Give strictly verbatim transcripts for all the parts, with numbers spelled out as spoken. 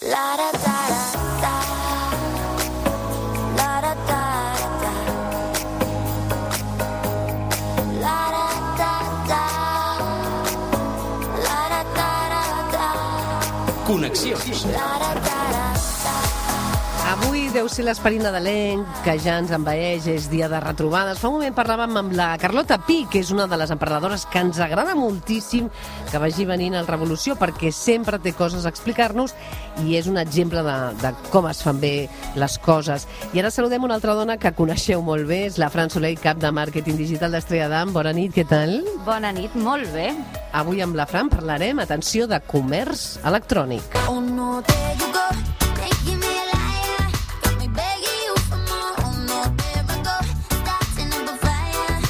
La da da da la da da da la da da da la da da da Connexions. la da da da. Avui deu ser l'esperit nadalenc que ja ens envaeix, és dia de retrobades. Fa un moment parlàvem amb la Carlota Pi, que és una de les emprenedores que ens agrada moltíssim que vagi venint al Revolució, perquè sempre té coses a explicar-nos i és un exemple de, de com es fan bé les coses. I ara saludem una altra dona que coneixeu molt bé, és la Fran Soler, cap de màrqueting digital d'Estrella d'Am. Bona nit, què tal? Bona nit, molt bé. Avui amb la Fran parlarem, atenció, de comerç electrònic. Oh no, there you go, making me a liar, got me begging you for more. Oh no, there I go, starting up a fire.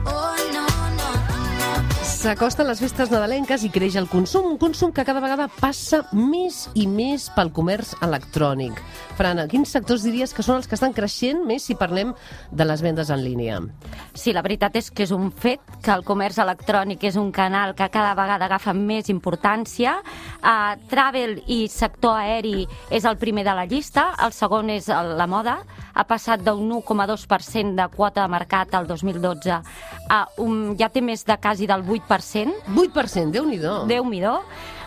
Oh no, no, no. S'acosten les festes nadalenques i creix el consum, un consum que cada vegada passa més i més pel comerç electrònic. Fran, quins sectors diries que són els que estan creixent més si parlem de les vendes en línia? Sí, la veritat és que és un fet que el comerç electrònic és un canal que cada vegada agafa més importància. Uh, travel i sector aeri és el primer de la llista, el segon és el, la moda. Ha passat d'un u coma dos per cent de quota de mercat al dos mil dotze a un, ja té més de quasi del vuit per cent. vuit per cent, Déu-n'hi-do. Déu-m'hi-do.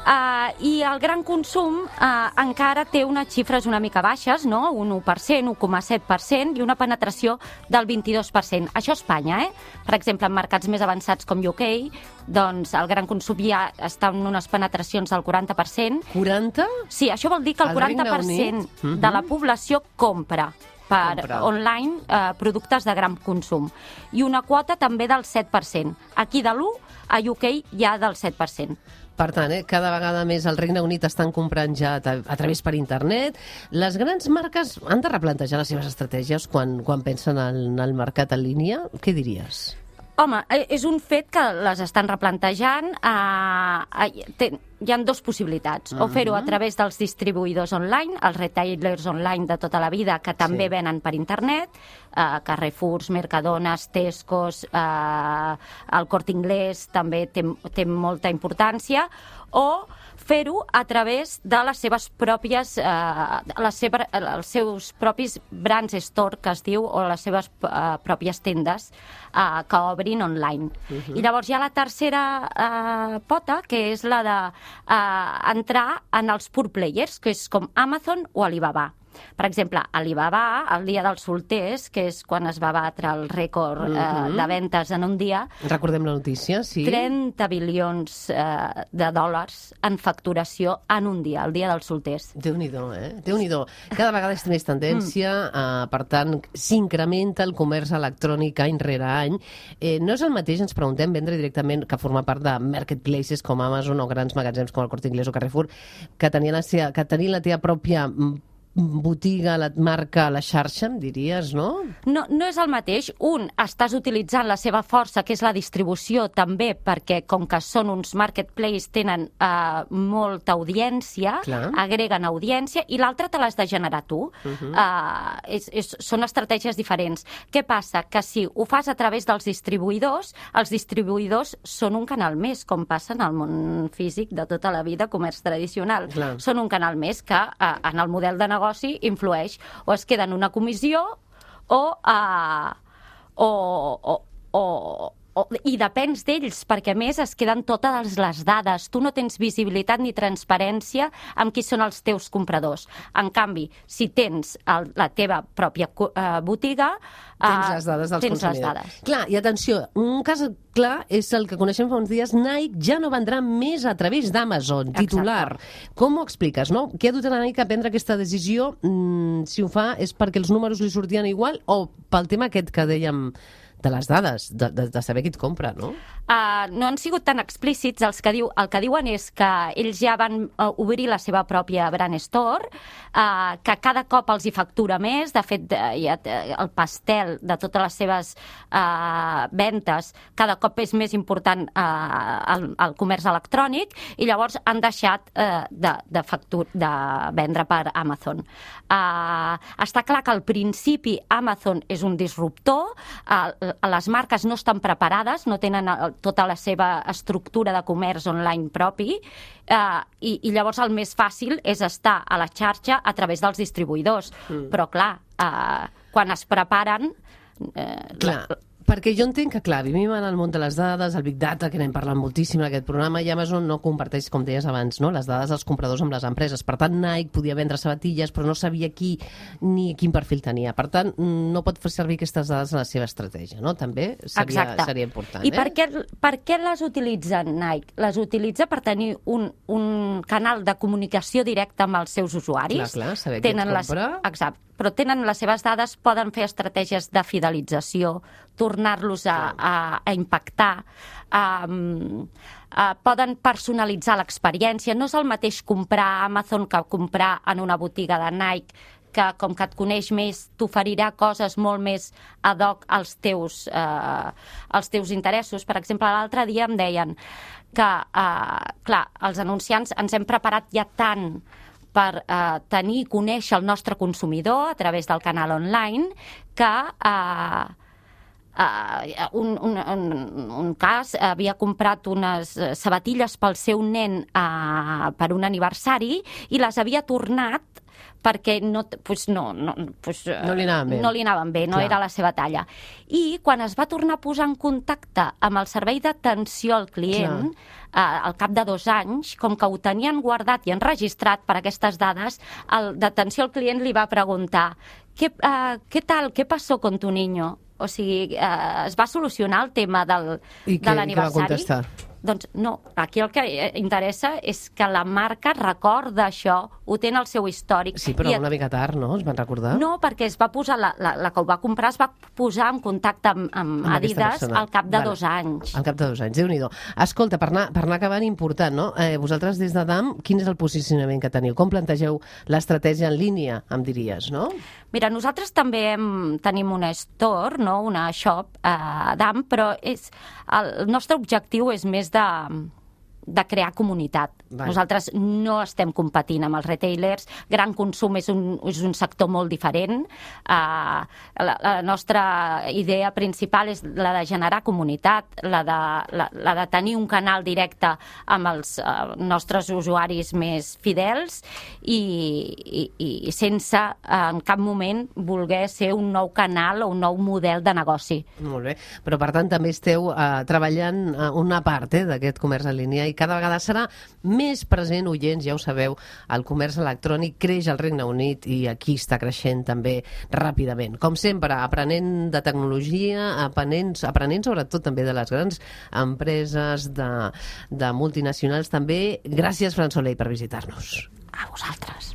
Uh, I el gran consum uh, encara té unes xifres una mica baixes, no? Un u per cent, u coma set per cent i una penetració del vint-i-dos per cent. Això a Espanya, eh? Per exemple, en mercats més avançats com U K, doncs el gran consum ja està en unes penetracions del quaranta per cent. quaranta? Sí, això vol dir que el Al quaranta per cent Regne Unit? de la població compra per Compra. online eh, productes de gran consum. I una quota també del set per cent. Aquí de l'u, a U K ja del set per cent. Per tant, eh, cada vegada més al Regne Unit estan comprant ja a, a través per internet. Les grans marques han de replantejar les seves estratègies quan, quan pensen en el mercat en línia? Què diries? Home, eh, és un fet que les estan replantejant. Eh, eh, ten, hi ha dues possibilitats. O fer-ho a través dels distribuïdors online, els retailers online de tota la vida, que també Sí. venen per internet, eh, Carrefours, Mercadones, Tescos, eh, el Corte Inglés també té, té molta importància, o fer-ho a través de les seves pròpies, eh, les seva, els seus propis brands store, que es diu, o les seves eh, pròpies tendes eh, que obrin online. Uh-huh. I llavors hi ha la tercera eh, pota, que és la de eh, entrar en els pure players, que és com Amazon o Alibaba. Per exemple, Alibaba, el dia dels solters, que és quan es va batre el rècord eh, Mhm. de ventes en un dia, Recordem la notícia, sí? trenta bilions eh, de dòlars en facturació en un dia, el dia dels solters. Déu-n'hi-do, eh? Déu-n'hi-do. Cada vegada és més tendència, eh, per tant, s'incrementa el comerç electrònic any rere any. Eh, no és el mateix, ens preguntem, vendre directament, que formar part de marketplaces com Amazon o grans magatzems com el Corte Inglés o Carrefour, que tenien la, seva, que tenien la teva pròpia mm, botiga, la marca, la xarxa, em diries, no? No, no és el mateix. Un, estàs utilitzant la seva força, que és la distribució, també, perquè com que són uns marketplaces, tenen eh, molta audiència, Clar. agreguen audiència, i l'altre te l'has de generar tu. Mhm. eh, és, és, són estratègies diferents. Què passa? Que si ho fas a través dels distribuïdors, els distribuïdors són un canal més, com passa en el món físic de tota la vida, comerç tradicional. Clar. Són un canal més que eh, en el model de negoci influeix, o es queda en una comissió o, uh, o, o, o, o i depens d'ells, perquè a més es queden totes les dades. Tu no tens visibilitat ni transparència amb qui són els teus compradors. En canvi, si tens el, la teva pròpia uh, botiga, Tens les dades dels tens les consumidors. dades. Clar, i atenció, un cas clar és el que coneixem fa uns dies. Nike ja no vendrà més a través d'Amazon, titular. Com ho expliques, no? Què ha dut a Nike a prendre aquesta decisió? Mm, si ho fa és perquè els números li sortien igual o pel tema aquest que dèiem de les dades, de, de, de saber qui et compra, no? Uh, no han sigut tan explícits. Els que diu, el que diuen és que ells ja van uh, obrir la seva pròpia brand store, uh, que cada cop els hi factura més. De fet, uh, ja, uh, el pastel de totes les seves uh, ventes cada cop és més important uh, el, el comerç electrònic, i llavors han deixat uh, de, de, factur, de vendre per Amazon. Uh, està clar que al principi Amazon és un disruptor. Uh, les marques no estan preparades, no tenen tota la seva estructura de comerç online propi, eh, i, i llavors el més fàcil és estar a la xarxa a través dels distribuïdors. Mm. Però, clar, eh, quan es preparen... Eh, clar. La... Perquè jo entenc que, clar, vivim en el món de les dades, el Big Data, que n'hem parlat moltíssim en aquest programa, i Amazon no comparteix, com deies abans, no? les dades dels compradors amb les empreses. Per tant, Nike podia vendre sabatilles, però no sabia qui ni quin perfil tenia. Per tant, no pot fer servir aquestes dades en la seva estratègia, no? També seria, seria important. I eh? per què, per què les utilitza Nike? Les utilitza per tenir un, un canal de comunicació directe amb els seus usuaris. Clar, clar, saber qui et compra. Les, exacte. Però tenen les seves dades, poden fer estratègies de fidelització, tornar-los a, a, a impactar, um, uh, poden personalitzar l'experiència. No és el mateix comprar a Amazon que comprar en una botiga de Nike, que com que et coneix més, t'oferirà coses molt més ad hoc als teus, eh, als teus interessos. Per exemple, l'altre dia em deien que, eh, clar, els anunciants ens hem preparat ja tant per eh, tenir i conèixer el nostre consumidor a través del canal online, que eh, eh, un, un, un, un cas havia comprat unes sabatilles pel seu nen eh, per un aniversari i les havia tornat perquè no, pues no, no, pues, no li anaven bé, no, li anaven bé, no era la seva talla. I quan es va tornar a posar en contacte amb el servei d'atenció al client, eh, al cap de dos anys, com que ho tenien guardat i enregistrat per aquestes dades, el d'atenció al client li va preguntar ¿Qué, uh, ¿qué tal? ¿Qué pasó con tu niño? O sigui, eh, es va solucionar el tema del, I de l'aniversari. I què va contestar? Doncs no, aquí el que interessa és que la marca recorda això, ho té en el seu històric. Sí, però I una mica tard, no? Es van recordar? No, perquè es va posar, la, la, la que ho va comprar es va posar en contacte amb, amb, amb Adidas al cap de vale. dos anys. Al cap de dos anys, Déu-n'hi-do. Escolta, per anar, per anar acabant, important, no? Eh, vosaltres des de D A M, quin és el posicionament que teniu? Com plantegeu l'estratègia en línia, em diries, no? Mira, nosaltres també hem, tenim una store, no? Una shop eh, a D A M, però és, el nostre objectiu és més de, de crear comunitat. Vale. Nosaltres no estem competint amb els retailers. Gran consum és un, és un sector molt diferent. Uh, la, la nostra idea principal és la de generar comunitat, la de, la, la de tenir un canal directe amb els uh, nostres usuaris més fidels i, i, i sense uh, en cap moment voler ser un nou canal o un nou model de negoci. Molt bé, però per tant també esteu uh, treballant uh, una part eh, d'aquest comerç en línia i cada vegada serà més present, oients, ja ho sabeu, el comerç electrònic creix al Regne Unit i aquí està creixent també ràpidament. Com sempre, aprenent de tecnologia, aprenent, aprenent sobretot també de les grans empreses, de, de multinacionals també. Gràcies, Fran Soler, per visitar-nos. A vosaltres.